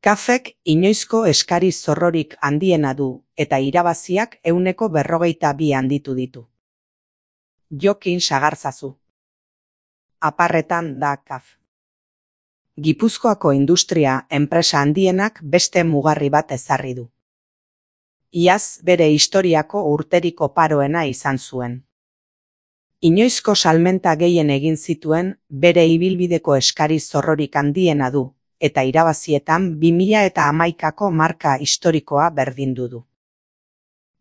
Kafek inoizko eskari zorrorik handiena du eta irabaziak 142 handitu ditu. Jokin sagarzazu. Aparretan da Kaf. Gipuzkoako industria enpresa handienak beste mugarri bat ezarri du. Iaz bere historiako urteriko paroena izan zuen. Inoizko salmenta gehien egin zituen bere ibilbideko eskari zorrorik handiena du, eta irabazietan 2011ko marka historikoa berdindu du.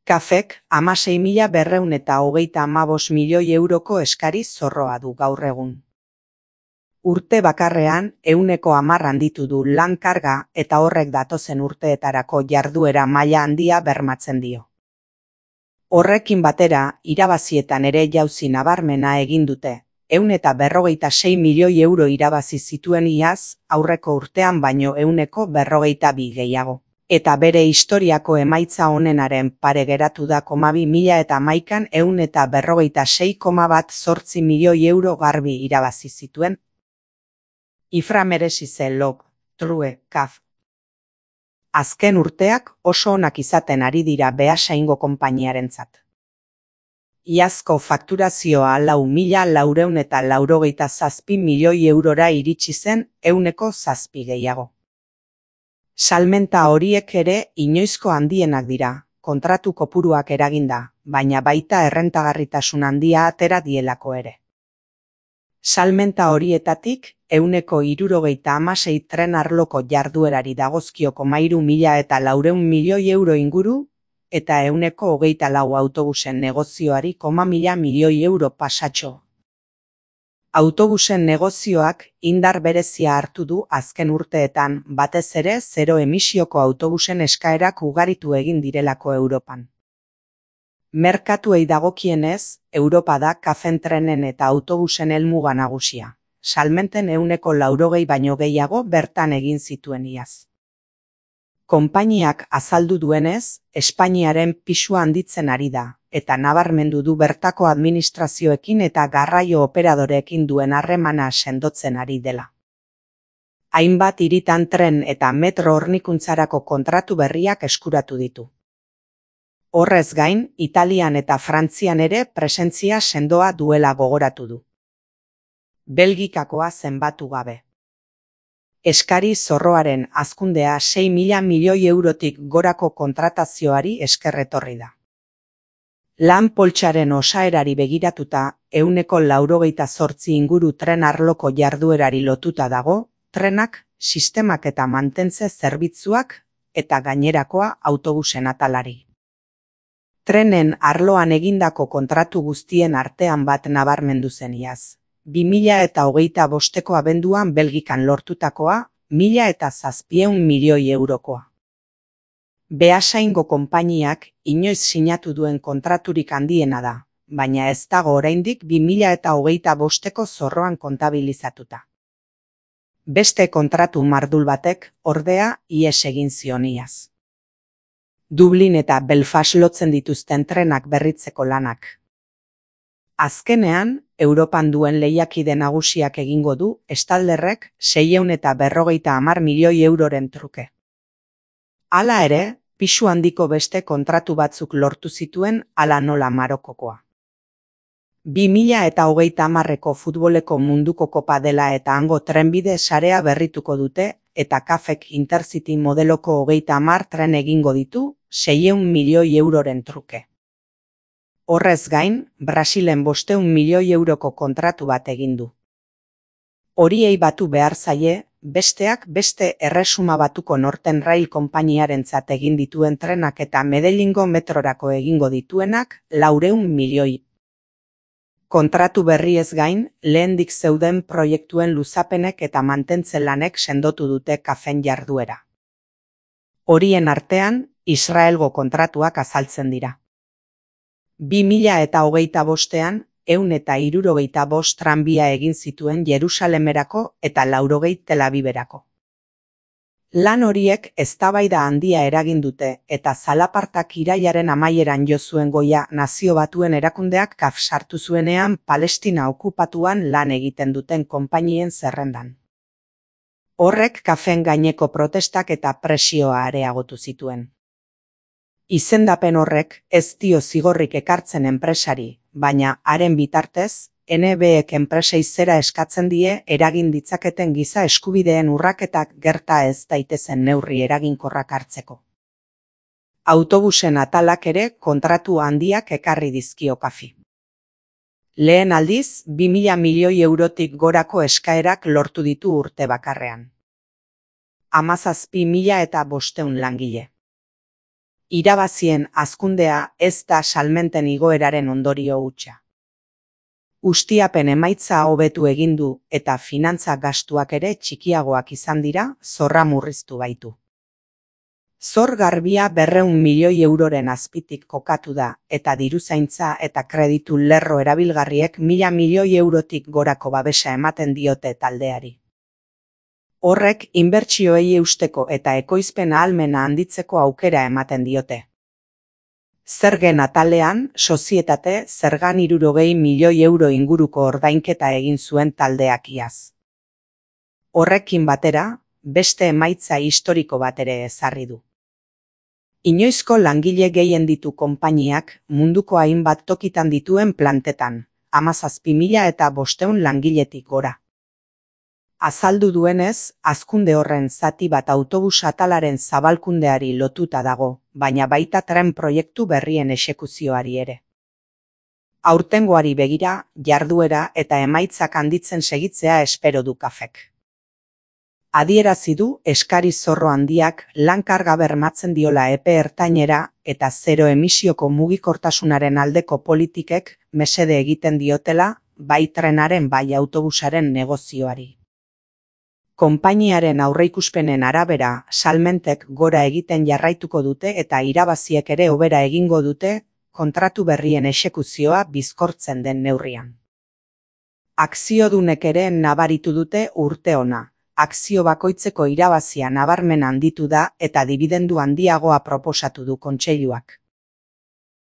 Kafek 16.235 milioi euroko eskari zorroa du gaur egun. Urte bakarrean 110 handitu du lan karga eta horrek datozen urteetarako jarduera maila handia bermatzen dio. Horrekin batera, irabazietan ere jauzi nabarmena egin dute, 156 milioi euro irabazi zituen iaz, aurreko urtean baino 142 gehiago. Eta bere historiako emaitza onenaren pare geratu da 2011an 156,18 milioi euro garbi irabazi zituen. Ifra merezi zen log, true, Kaf. Azken urteak oso onak izaten ari dira Beasaingo konpainiarentzat. Iazko fakturazioa 4.487 milioi eurora iritsi zen 107 gehiago. Salmenta horiek ere inoizko handienak dira, kontratu kopuruak eraginda, baina baita errentagarritasun handia atera dielako ere. Salmenta horietatik 176 tren arloko jarduerari dagozkio 3.400 milioi euro inguru, eta 124 autobusen negozioari 1.000 milioi euro pasatxo. Autobusen negozioak indar berezia hartu du azken urteetan, batez ere zero emisioko autobusen eskaerak ugaritu egin direlako Europan. Merkatuei dagokienez, Europa da Kafen trenen eta autobusen helmuga nagusia. Salmenten 180 baino gehiago bertan egin zituen iaz. Konpainiak azaldu duenez, Espainiaren pisua handitzen ari da, eta nabarmendu du bertako administrazioekin eta garraio operadoreekin duen harremana sendotzen ari dela. Hainbat hiritan tren eta metro hornikuntzarako kontratu berriak eskuratu ditu. Horrez gain, Italian eta Frantzian ere presentzia sendoa duela gogoratu du. Belgikakoa zenbatu gabe. Eskari zorroaren hazkundea 6.000 milioi eurotik gorako kontratazioari esker etorri da. Lan poltsaren osaerari begiratuta 198 inguru tren arloko jarduerari lotuta dago, trenak, sistemak eta mantentze zerbitzuak eta gainerakoa autobusen atalari. Trenen arloan egindako kontratu guztien artean bat nabarmendu zen iaz. 2025ko abenduan Belgikan lortutakoa, 1.700 milioi eurokoa. Beasaingo konpainiak inoiz sinatu duen kontraturik handiena da, baina ez dago oraindik 2025ko zorroan kontabilizatuta. Beste kontratu mardul batek, ordea, ihes egin zion iaz. Dublin eta Belfast lotzen dituzten trenak berritzeko lanak. Azkenean, Europan duen lehiakide nagusiak egingo du Stadlerrek 650 milioi euroren truke. Hala ere, pisu handiko beste kontratu batzuk lortu zituen hala nola Marokokoa. 2030ko futboleko munduko kopa dela eta hango trenbide sarea berrituko dute eta Kafek Intercity modeloko 30 tren egingo ditu 600 milioi euroren truke. Horrez gain, Brasilen 500 milioi euroko kontratu bat egin du. Horiei batu behar zaie, besteak beste Erresuma Batuko Northern Rail konpainiarentzat egin dituen trenak eta Medellingo metrorako egingo dituenak 400 milioi. Kontratu berriez gain, lehendik zeuden proiektuen luzapenek eta mantentze lanek sendotu dute Kafen jarduera. Horien artean, Israelgo kontratuak azaltzen dira. 2025an 175 tranbia egin zituen Jerusalemerako eta 80 Tel Aviverako. Lan horiek eztabaida handia eragin dute eta zalapartak irailaren amaieran jo zuen goia Nazio Batuen erakundeak Kaf sartu zuenean Palestina okupatuan lan egiten duten konpainien zerrendan. Horrek kafeen gaineko protestak eta presioa areagotu zituen. Izendapen horrek ez dio zigorrik ekartzen enpresari, baina haren bitartez, NBek enpresei zera eskatzen die eragin ditzaketen giza eskubideen urraketak gerta ez daitezen neurri eraginkorrak hartzeko. Autobusen atalak ere kontratu handiak ekarri dizkio Cafi. Lehen aldiz, 2.000 milioi eurotik gorako eskaerak lortu ditu urte bakarrean. 17.500 langile. Irabazien hazkundea ez da salmenten igoeraren ondorio hutsa. Ustiapen emaitza hobetu egin du eta finantza gastuak ere txikiagoak izan dira, zorra murriztu baitu. Zor garbia 200 milioi euroren azpitik kokatu da eta diruzaintza eta kreditu lerro erabilgarriek 1.000 milioi eurotik gorako babesa ematen diote taldeari. Horrek inbertsioei eusteko eta ekoizpen ahalmena handitzeko aukera ematen diote. Zergen atalean, sozietate zergan 60 milioi euro inguruko ordainketa egin zuen taldeak iaz. Horrekin batera, beste emaitza historiko bat ere ezarri du. Inoizko langile gehien ditu konpainiak munduko hainbat tokitan dituen plantetan, 17.500 langiletik gora. Azaldu duenez, hazkunde horren zati bat autobus atalaren zabalkundeari lotuta dago, baina baita tren proiektu berrien exekuzioari ere. Aurtengoari begira, jarduera eta emaitzak handitzen segitzea espero du Cafek. Adierazi du eskari zorro handiak lan karga bermatzen diola epe ertainera eta zero emisioko mugikortasunaren aldeko politikek mesede egiten diotela bai trenaren bai autobusaren negozioari. Konpainiaren aurreikuspenen arabera, salmentek gora egiten jarraituko dute eta irabaziek ere hobera egingo dute kontratu berrien exekuzioa bizkortzen den neurrian. Akziodunek ere nabaritu dute urte ona. Akzio bakoitzeko irabazia nabarmen handitu da eta dibidendu handiagoa proposatu du kontseiluak.